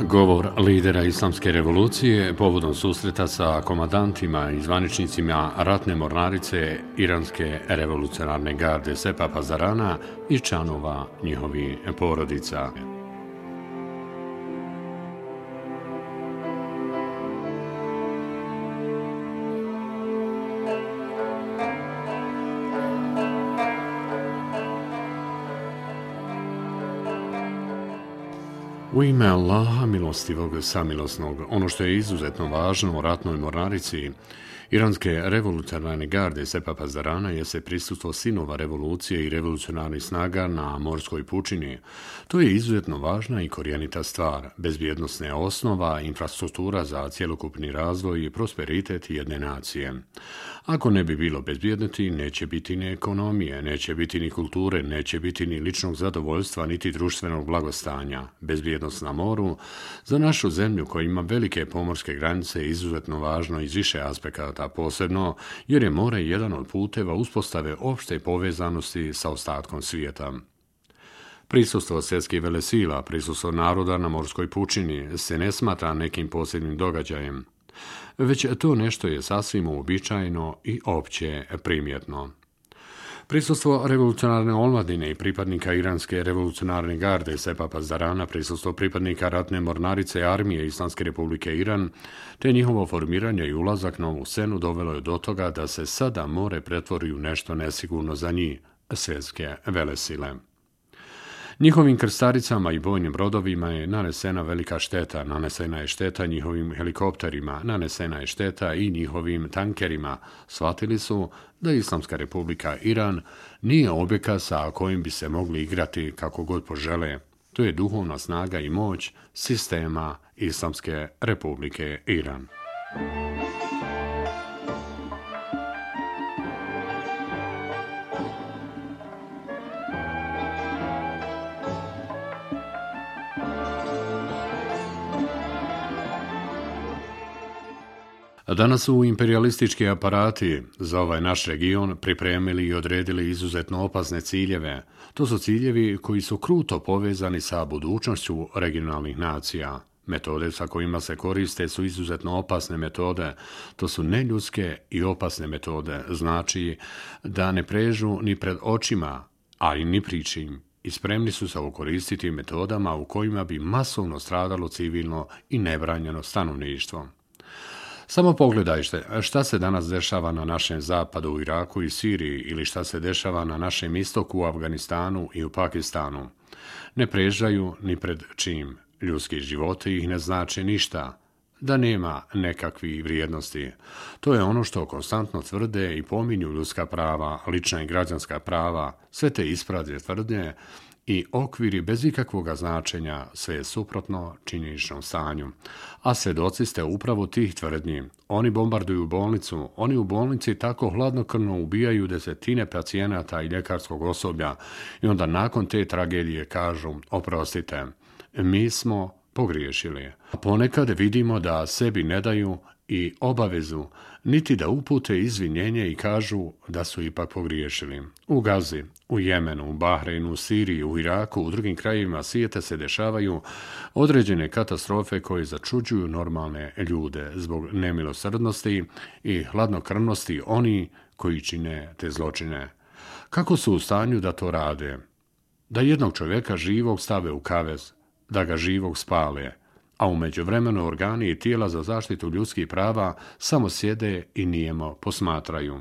Govor lidera Islamske revolucije povodom susreta sa komandantima i zvaničnicima ratne mornarice Iranske revolucionarne garde Sepa Pazarana i članova njihovih porodica. U ime Allaha milostivog samilosnog, ono što je izuzetno važno u ratnoj mornarici Iranske revolucionarne garde Sepa Pazarana jeste prisustvo sinova revolucije i revolucionarnih snaga na morskoj pučini. To je izuzetno važna i korijenita stvar, bezbjednosna osnova, infrastruktura za cjelokupni razvoj i prosperitet jedne nacije. Ako ne bi bilo bezbjednosti, neće biti ni ekonomije, neće biti ni kulture, neće biti ni ličnog zadovoljstva, niti društvenog blagostanja. Bezbjednost na moru za našu zemlju koja ima velike pomorske granice je izuzetno važno iz više aspekata, posebno jer je more jedan od puteva uspostave opšte povezanosti sa ostatkom svijeta. Prisustvo svjetskih velesila, prisustvo naroda na morskoj pučini se ne smatra nekim posebnim događajem, već to nešto je sasvim uobičajeno i opće primjetno. Prisustvo revolucionarne omladine i pripadnika Iranske revolucionarne garde Sepa Pazarana, prisustvo pripadnika ratne mornarice armije Islamske republike Iran, te njihovo formiranje i ulazak na ovu scenu dovelo je do toga da se sada more pretvori u nešto nesigurno za njih, svjetske velesile. Njihovim krstaricama i bojnim brodovima je nanesena velika šteta, nanesena je šteta njihovim helikopterima, nanesena je šteta i njihovim tankerima. Shvatili su da Islamska republika Iran nije objekat sa kojim bi se mogli igrati kako god požele. To je duhovna snaga i moć sistema Islamske republike Iran. Danas su imperialistički aparati za ovaj naš region pripremili i odredili izuzetno opasne ciljeve. To su ciljevi koji su kruto povezani sa budućnošću regionalnih nacija. Metode sa kojima se koriste su izuzetno opasne metode. To su neljudske i opasne metode. Znači da ne prežu ni pred očima, ali ni pričim. I spremni su se okoristiti metodama u kojima bi masovno stradalo civilno i nebranjeno stanovništvo. Samo pogledajte šta se danas dešava na našem zapadu u Iraku i Siriji ili šta se dešava na našem istoku u Afganistanu i u Pakistanu. Ne prežaju ni pred čim. Ljudski životi ih ne znače ništa. Da nema nekakvih vrijednosti. To je ono što konstantno tvrde i pominju ljudska prava, lična i građanska prava, sve te isprazne tvrdnje i okviri bez ikakvog značenja, sve je suprotno činjeničnom stanju. A svjedoci ste upravo tih tvrdnji. Oni bombarduju bolnicu, oni u bolnici tako hladnokrvno ubijaju desetine pacijenata i ljekarskog osoblja i onda nakon te tragedije kažu, oprostite, mi smo pogriješili. A ponekad vidimo da sebi ne daju i obavezu, niti da upute izvinjenje i kažu da su ipak pogriješili. U Gazi, u Jemenu, u Bahreinu, u Siriji, u Iraku, u drugim krajevima svijeta se dešavaju određene katastrofe koje začuđuju normalne ljude zbog nemilosrdnosti i hladnokrvnosti oni koji čine te zločine. Kako su u stanju da to rade? Da jednog čovjeka živog stave u kavez, da ga živog spale, a u međuvremenu organi i tijela za zaštitu ljudskih prava samo sjede i nijemo posmatraju.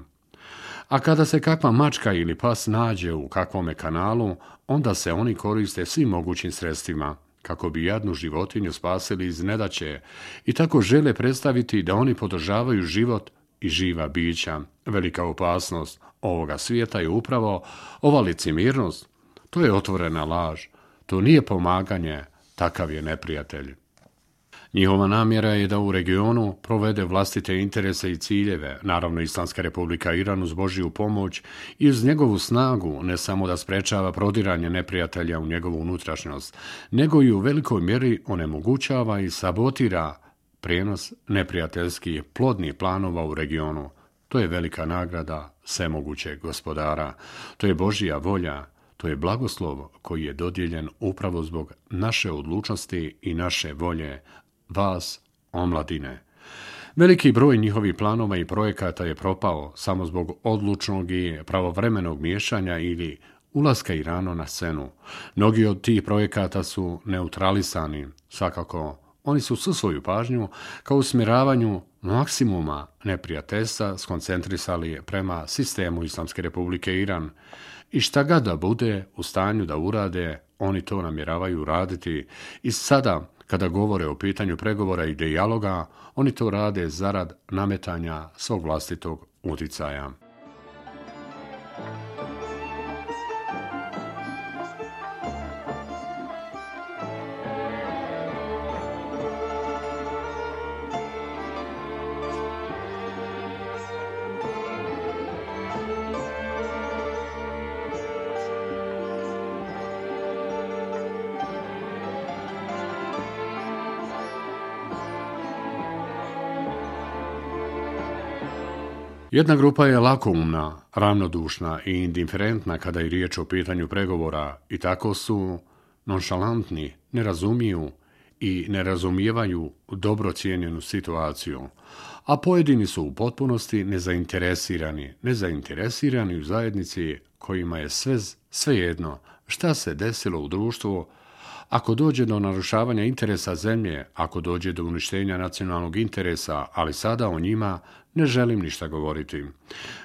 A kada se kakva mačka ili pas nađe u kakvome kanalu, onda se oni koriste svim mogućim sredstvima, kako bi jadnu životinju spasili iz nedaće i tako žele predstaviti da oni podržavaju život i živa bića. Velika opasnost ovoga svijeta je upravo ova licemjernost. To je otvorena laž, to nije pomaganje, takav je neprijatelj. Njihova namjera je da u regionu provede vlastite interese i ciljeve, naravno Islamska republika Iran uz Božju pomoć i uz njegovu snagu ne samo da sprečava prodiranje neprijatelja u njegovu unutrašnjost, nego i u velikoj mjeri onemogućava i sabotira prijenos neprijateljskih plodnih planova u regionu. To je velika nagrada svemogućeg gospodara. To je Božja volja, to je blagoslov koji je dodijeljen upravo zbog naše odlučnosti i naše volje, vas, omladine. Veliki broj njihovih planova i projekata je propao samo zbog odlučnog i pravovremenog miješanja ili ulaska Irana na scenu. Mnogi od tih projekata su neutralisani, svakako oni su svu svoju pažnju kao usmjeravanju maksimuma neprijateljstva skoncentrisali prema sistemu Islamske republike Iran i šta ga da bude u stanju da urade, oni to namjeravaju raditi i sada kada govore o pitanju pregovora i dijaloga, oni to rade zarad nametanja svog vlastitog uticaja. Jedna grupa je lakoumna, ravnodušna i indiferentna kada je riječ o pitanju pregovora i tako su nonšalantni, ne razumiju i ne razumijevaju dobro cijenjenu situaciju, a pojedini su u potpunosti nezainteresirani u zajednici kojima je svejedno šta se desilo u društvu. Ako dođe do narušavanja interesa zemlje, ako dođe do uništenja nacionalnog interesa, ali sada o njima ne želim ništa govoriti.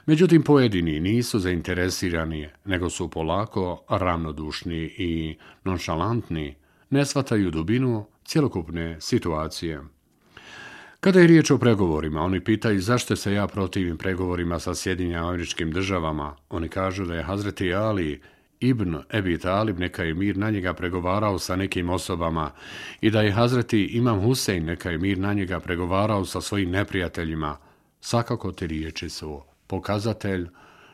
Međutim, pojedini nisu zainteresirani, nego su polako ravnodušni i nonšalantni, ne shvataju dubinu cjelokupne situacije. Kada je riječ o pregovorima, oni pitaju zašto se ja protivim pregovorima sa Sjedinjenim Američkim Državama. Oni kažu da je Hazreti Ali Ibn Ebi Talib, neka je mir na njega, pregovarao sa nekim osobama i da je Hazreti Imam Husein, neka je mir na njega, pregovarao sa svojim neprijateljima. Svakako te riječi su pokazatelj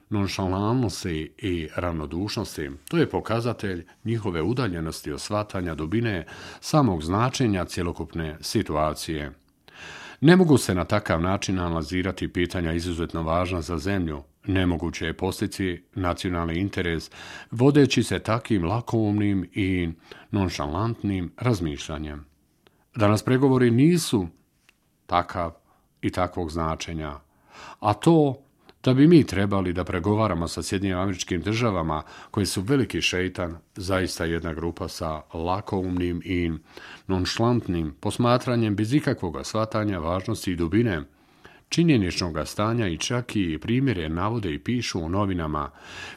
nonšalantnosti i ravnodušnosti. To je pokazatelj njihove udaljenosti od shvatanja dubine samog značenja cjelokupne situacije. Ne mogu se na takav način analizirati pitanja izuzetno važna za zemlju. Nemoguće je postići nacionalni interes vodeći se takvim lakoumnim i nonšalantnim razmišljanjem. Danas pregovori nisu takav i takvog značenja, a to da bi mi trebali da pregovaramo sa Sjedinjenim Američkim Državama koji su veliki šeitan, zaista jedna grupa sa lakoumnim i nonšalantnim posmatranjem bez ikakvog shvatanja važnosti i dubine činjeničnog stanja i čak i primjere navode i pišu u novinama,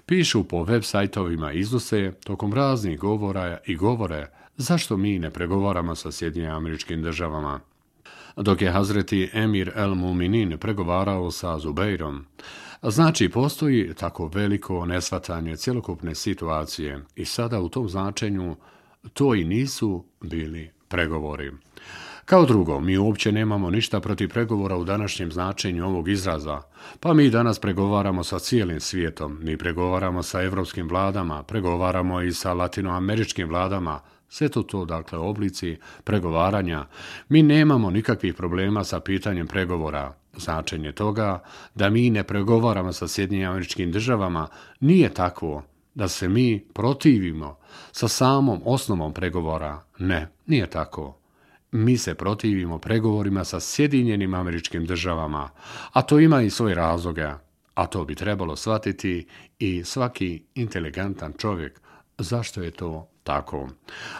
pišu po web sajtovima, iznose tokom raznih govora i govore zašto mi ne pregovaramo sa Sjedinjenim Američkim Državama. Dok je Hazreti Emir el Muminin pregovarao sa Zubeirom, znači postoji tako veliko neshvatanje cjelokupne situacije i sada u tom značenju to i nisu bili pregovori. Kao drugo, mi uopće nemamo ništa protiv pregovora u današnjem značenju ovog izraza, pa mi danas pregovaramo sa cijelim svijetom, mi pregovaramo sa evropskim vladama, pregovaramo i sa latinoameričkim vladama, sve to dakle oblici pregovaranja. Mi nemamo nikakvih problema sa pitanjem pregovora. Značenje toga da mi ne pregovaramo sa Sjedinjenim Američkim Državama nije takvo da se mi protivimo sa samom osnovom pregovora. Ne, nije tako. Mi se protivimo pregovorima sa Sjedinjenim Američkim Državama, a to ima i svoje razloge, a to bi trebalo shvatiti i svaki inteligentan čovjek. Zašto je to tako?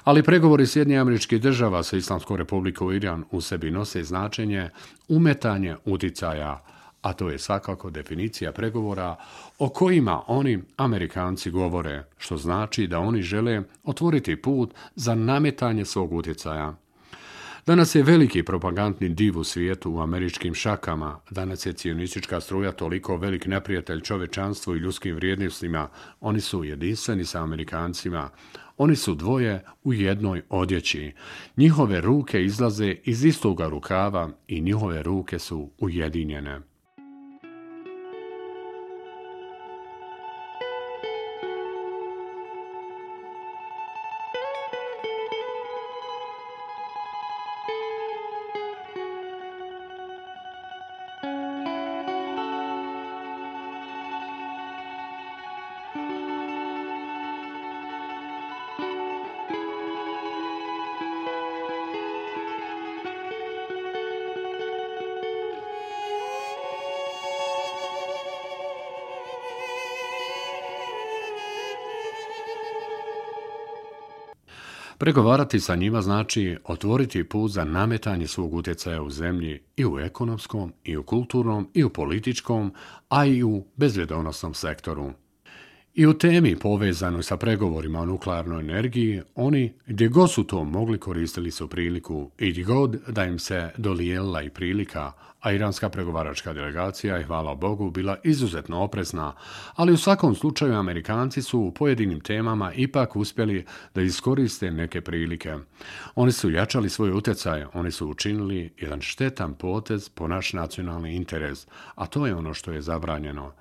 Ali pregovori Sjedinjenih Američkih Država sa Islamskom republikom Iran u sebi nose značenje umetanje uticaja, a to je svakako definicija pregovora o kojima oni Amerikanci govore, što znači da oni žele otvoriti put za nametanje svog utjecaja. Danas je veliki propagandni div u svijetu u američkim šakama. Danas je cionistička struja toliko velik neprijatelj čovečanstvu i ljudskim vrijednostima. Oni su jedinstveni sa Amerikancima. Oni su dvoje u jednoj odjeći. Njihove ruke izlaze iz istoga rukava i njihove ruke su ujedinjene. Pregovarati sa njima znači otvoriti put za nametanje svog utjecaja u zemlji i u ekonomskom, i u kulturnom, i u političkom, a i u bezbjedonosnom sektoru. I u temi povezanoj sa pregovorima o nuklearnoj energiji, oni gdje god su to mogli koristili su priliku i gdje god da im se dodijelila i prilika, a iranska pregovaračka delegacija je, hvala Bogu, bila izuzetno oprezna, ali u svakom slučaju Amerikanci su u pojedinim temama ipak uspjeli da iskoriste neke prilike. Oni su jačali svoj utjecaj, oni su učinili jedan štetan potez po naš nacionalni interes, a to je ono što je zabranjeno.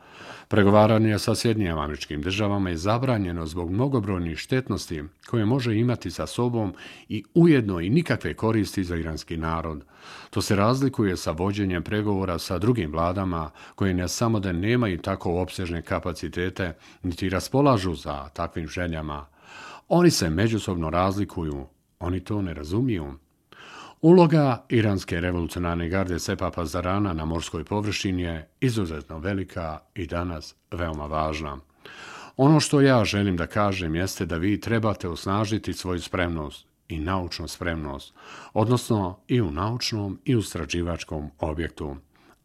Pregovaranje sa Sjedinjenim Američkim Državama je zabranjeno zbog mnogobrojnih štetnosti koje može imati sa sobom i ujedno i nikakve koristi za iranski narod. To se razlikuje sa vođenjem pregovora sa drugim vladama koje ne samo da nemaju tako opsežne kapacitete, niti raspolažu za takvim željama. Oni se međusobno razlikuju, oni to ne razumiju. Uloga iranske revolucionarne garde Sepa Pazarana na morskoj površini je izuzetno velika i danas veoma važna. Ono što ja želim da kažem jeste da vi trebate osnažiti svoju spremnost i naučnu spremnost, odnosno i u naučnom i u istraživačkom objektu,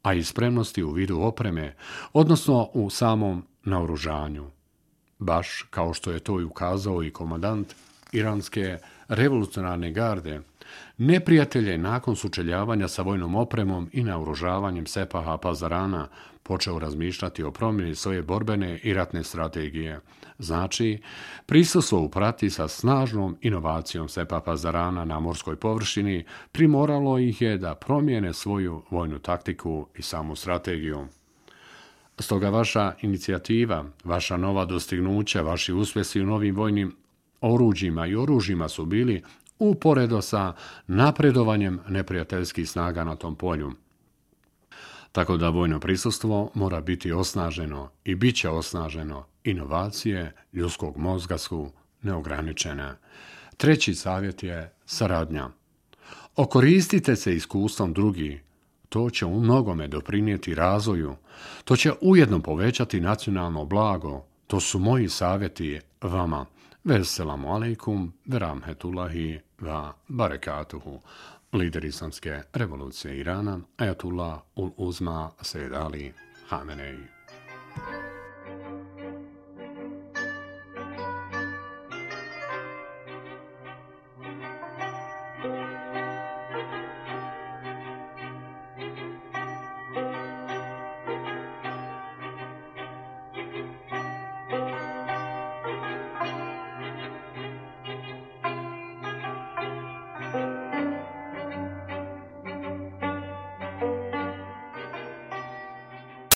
a i spremnosti u vidu opreme, odnosno u samom naoružanju. Baš kao što je to i ukazao i komandant iranske revolucionarne garde, neprijatelj je nakon sučeljavanja sa vojnom opremom i naoružavanjem Sepaha Pazarana počeo razmišljati o promjeni svoje borbene i ratne strategije. Znači, prisustvo u prati sa snažnom inovacijom Sepa Pazarana na morskoj površini primoralo ih je da promijene svoju vojnu taktiku i samu strategiju. Stoga vaša inicijativa, vaša nova dostignuća, vaši uspjesi u novim vojnim oruđima i oružjima su bili uporedo sa napredovanjem neprijateljskih snaga na tom polju. Tako da vojno prisustvo mora biti osnaženo i bit će osnaženo. Inovacije ljudskog mozga su neograničene. Treći savjet je saradnja. Okoristite se iskustvom drugih. To će u mnogome doprinijeti razvoju. To će ujedno povećati nacionalno blago. To su moji savjeti vama. Veselamu alejkum, verahmetullahi wa barekatuhu. Lider islamske revolucije Irana, Ajatullah ul Uzma Sejed Ali Hamenei.